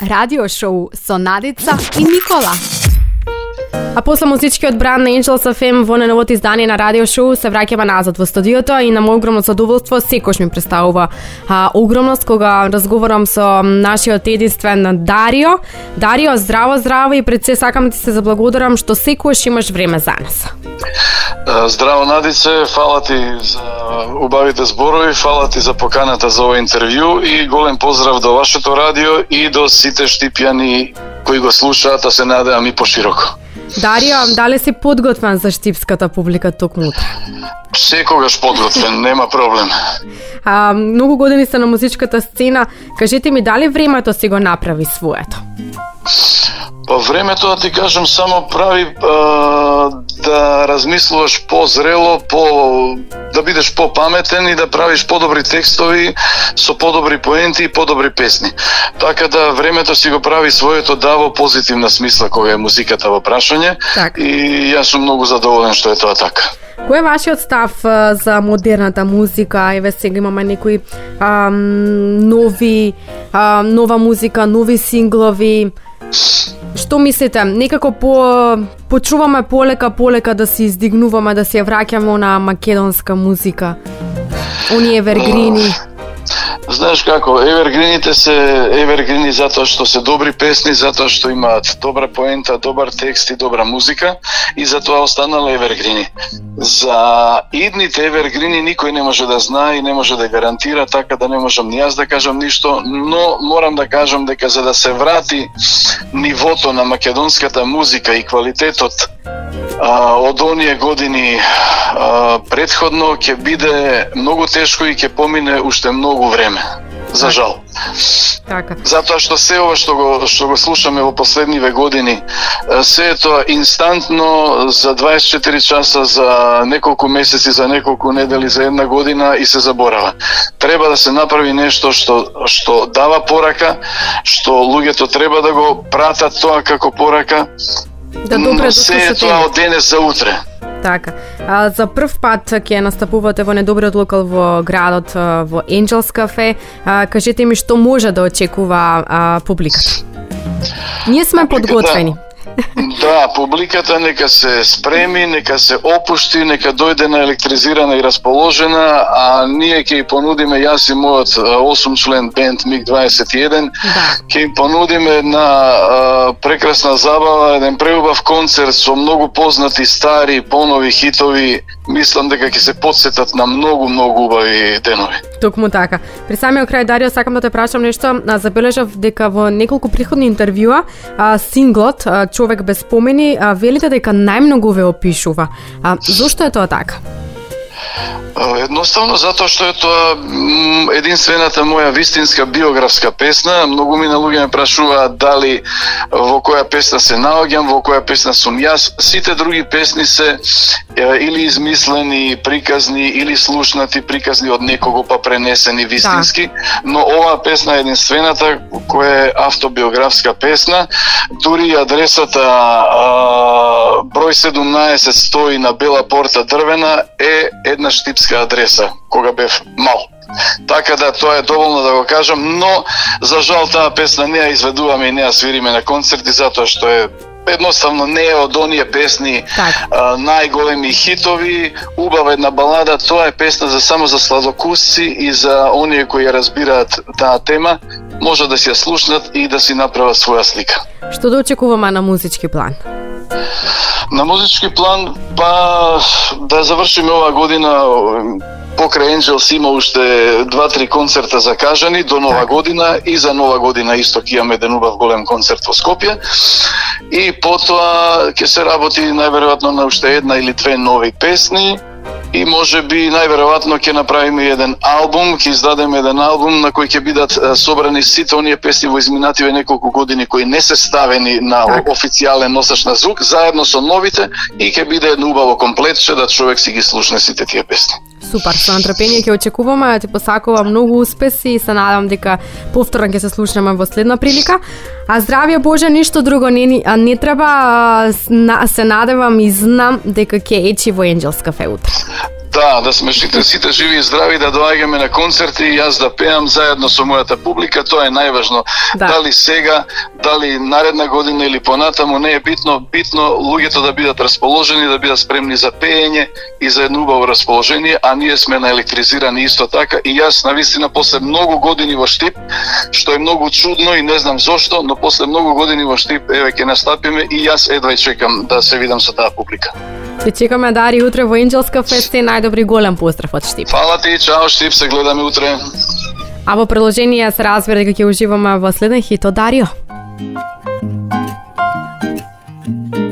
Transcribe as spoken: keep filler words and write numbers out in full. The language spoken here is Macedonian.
Радио шоу со Надица и Никола. А после музичкиот бранд на Angels еф ем во најновото издание на радио шоу се враќаме назад во студиото и на мој огромно задоволство секош ми представува а, огромност кога разговарам со нашиот единствен Дарио. Дарио, здраво, здраво и пред се сакам да ти се заблагодарам што секош имаш време за нас. Здраво, Надице, фала ти за убавите зборови, фала ти за поканата за ова интервју и голем поздрав до вашето радио и до сите штипјани кои го слушаат, а се надевам и пошироко. Дарио, дали си подготвен за штипската публика токму утре? Секогаш подготвен, нема проблем. А, многу години се на музичката сцена, кажете ми дали времето си го направи своето? Па времето, да ти кажам, само прави а, да размислуваш по-зрело, по, да бидеш по-паметен и да правиш по-добри текстови со по-добри поенти и по-добри песни. Така да времето си го прави своето да во позитивна смисла кога е музиката во прашање так. И јас сум многу задоволен што е тоа така. Кој е вашиот став а, за модерната музика? Еве сега имаме некои а, нови, а, нова музика, нови синглови. Што мислите? Некако по почуваме полека полека да се издигнуваме, да се враќаме на македонска музика. Оние евергрини. Знаеш како, евергрините се евергрини затоа што се добри песни, затоа што имаат добра поента, добар текст и добра музика и затоа останала евергрини. За идните евергрини никој не може да знае и не може да гарантира, така да не можам ни јас да кажам ништо, но морам да кажам дека за да се врати нивото на македонската музика и квалитетот а, од оние години а, предходно ќе биде многу тешко и ќе помине уште многу време. За жал. Така. Затоа што се ова што го што го слушаме во последниве години, се е тоа инстантно за дваесет и четири часа, за неколку месеци, за неколку недели, за една година и се заборава. Треба да се направи нешто што што дава порака, што луѓето треба да го пратат тоа како порака. Да добре, се е тоа од денес за утре. Така. А, за прв пат ќе настапувате во недобриот локал во градот во Angels кафе. А, кажете ми што може да очекува а, публиката. Ние сме подготвени. Да, публиката нека се спреми, нека се опушти, нека дојде на електризирана и расположена, а ние ќе ја понудиме, јас и мојот осум член бенд миг дваесет и еден, да. Ќе им понудиме една а, прекрасна забава, еден преубав концерт со многу познати стари, понови хитови. Мислам дека ќе се потсетат на многу, многу убави денови. Токму така. При самиот крај, Дарио, сакам да те прашам нешто. Забележав дека во неколку претходни интервјуа а, синглот а, Човек без спомени, а, велите дека најмногу ве опишува. А, зошто е тоа така? Едноставно затоа што е тоа единствената моја вистинска биографска песна. Многу ми на луѓе ме прашуваат дали во која песна се наоѓам, во која песна сум јас. Сите други песни се или измислени, приказни, или слушнати, приказни од некого па пренесени вистински, да. Но оваа песна е единствената која е автобиографска песна. Дури адресата а, број седумнаесет стои на Бела порта дрвена е една штипска адреса, кога бев мал. Така да тоа е доволно да го кажам, но за жал таа песна не ја изведуваме и не ја свириме на концерти, затоа што е едноставно не е од оние песни а, најголеми хитови, убава една балада, тоа е песна за само за сладокусци и за оние кои ја разбираат таа тема, може да си ја слушнат и да си направат своја слика. Што да очекуваме на музички план? На музички план, па да завршиме оваа година. Покрај Angels има уште два-три концерта закажани до нова година и за нова година исто ќе имаме еден убав голем концерт во Скопје. И потоа ќе се работи најверојатно на уште една или две нови песни. И може би најверојатно ќе направиме еден албум, ќе издадеме еден албум на кој ќе бидат собрани сите оние песни во изминативе неколку години кои не се ставени на так. Официјален носач на звук, заедно со новите и ќе биде едно убаво комплетче да човек си ги слушне сите тие песни. Супер, со нетрпение ќе очекуваме, ти посакувам многу успеси и се надам дека повторно ќе се слушнеме во следна прилика. А здравје Боже, ништо друго не, не треба, се надевам и знам дека ќе ечи во Angels кафе утре. Да, да сме сите, сите живи и здрави, да доаѓаме на концерти и јас да пеам заедно со мојата публика, тоа е најважно. Да. Дали сега, дали наредна година или понатаму, не е битно, битно луѓето да бидат расположени, да бидат спремни за пеење и за едно убаво расположение, а ние сме наелектризирани исто така и јас навистина после многу години во Штип, што е многу чудно и не знам зошто, но после многу години во Штип еве ќе настапиме и јас едва чекам да се видам со таа публика. Те чекаме, Дари, утре во Енџелска феста и најдобри голем поздрав од Штип. Фала ти, чао Штип, се гледаме утре. А во продолжение се разбира дека ќе уживаме во следен хит од Дарио.